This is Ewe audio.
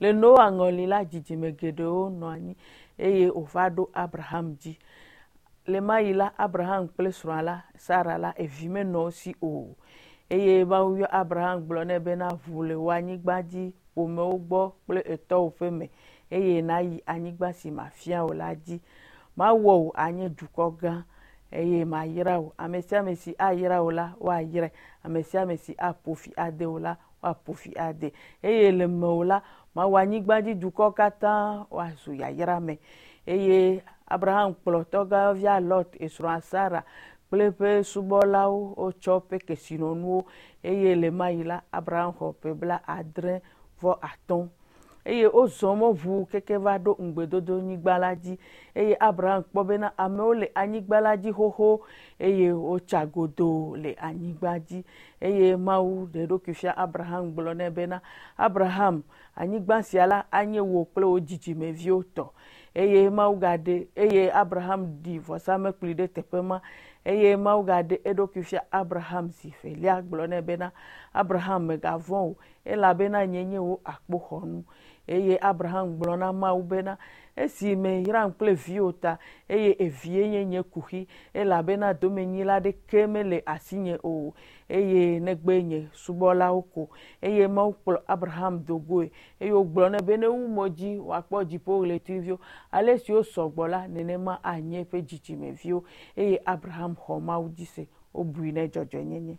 Le Noa ŋɔli la, dzidzime geɖewo nɔ anyi eye wòva ɖo Abraham dzi. Le ma ɣi la, Abraham kple srɔ̃a la, Sara la, evi menɔ wo si o. Eye Mawu yɔ Abraham gblɔ nɛ bena, Ʋu le wò anyigba dzi, ƒomewo gbɔ kple etɔwò ƒe me, eye nàyi anyigba si mafia wò la dzi. Mawɔ wò anye dukɔ gã, eye mayra wò. Ame sia ame si ayra wò la, woayrae. Ame sia ame si aƒo fi ade wò la, woaƒo fi ade. Eye le mewò la, mawɔ anyigba dzi dukɔwo katã woazu yayra me. Eye Abraham kplɔ tɔgãyɔvia Lot, esrɔ̃a Sara kple eƒe subɔlawo wotsɔ woƒe kesinɔnuwo. Eye le ma ɣi la, Abraham xɔ ƒe bla adre vɔ atɔ̃. Eye wozɔ mɔ ʋuu keke va ɖo ŋugbedodonyigba la dzi. Eye Abraham kpɔ bena amewo le anyigba la dzi xoxo, eye wotsa godoo le anyigba dzi. Eye Mawu ɖe eɖokui fia Abraham gblɔ nɛ bena, Abraham, anyigba sia la anye wò kple wò dzidzimeviwo tɔ. Eye Mawu gaɖe, eye Abraham ɖi vɔsamlekpui ɖe teƒe ma. Eye Mawu gaɖe eɖokui fia Abraham zi velia gblɔ nɛ bena, Abraham, mègavɔ̃ o, elabena nye nye wò akpoxɔnu. Eye Abraham gblɔ na Mawu bena, Esi meyram kple viwò ta, eye evie nye nye kuxi, elabena domenyila aɖeke mele asinye o, eye negbe nye subɔlawo ko. Eye Mawu kplɔ Abraham do goe, eye wògblɔ nɛ be newu mo dzi wòakpɔ dziƒoɣletiviwo. Ale si wosɔ gbɔ la, nenema anye eƒe dzidzimeviwo. Eye Abraham xɔ Mawu dzi se, wobui nɛ dzɔdzɔenyenye.